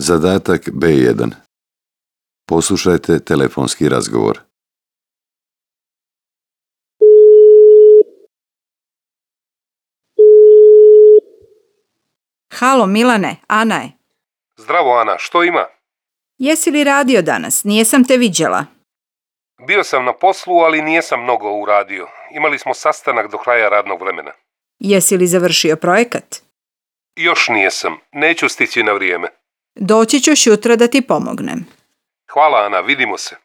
Zadatak B1. Poslušajte telefonski razgovor. Halo Milane, Ana je. Zdravo Ana, što ima? Jesi li radio danas? Nijesam te viđela. Bio sam na poslu, ali nijesam mnogo uradio. Imali smo sastanak do kraja radnog vremena. Jesi li završio projekat? Još nijesam, neću stići na vrijeme. Doći ću jutra da ti pomognem. Hvala Ana, vidimo se.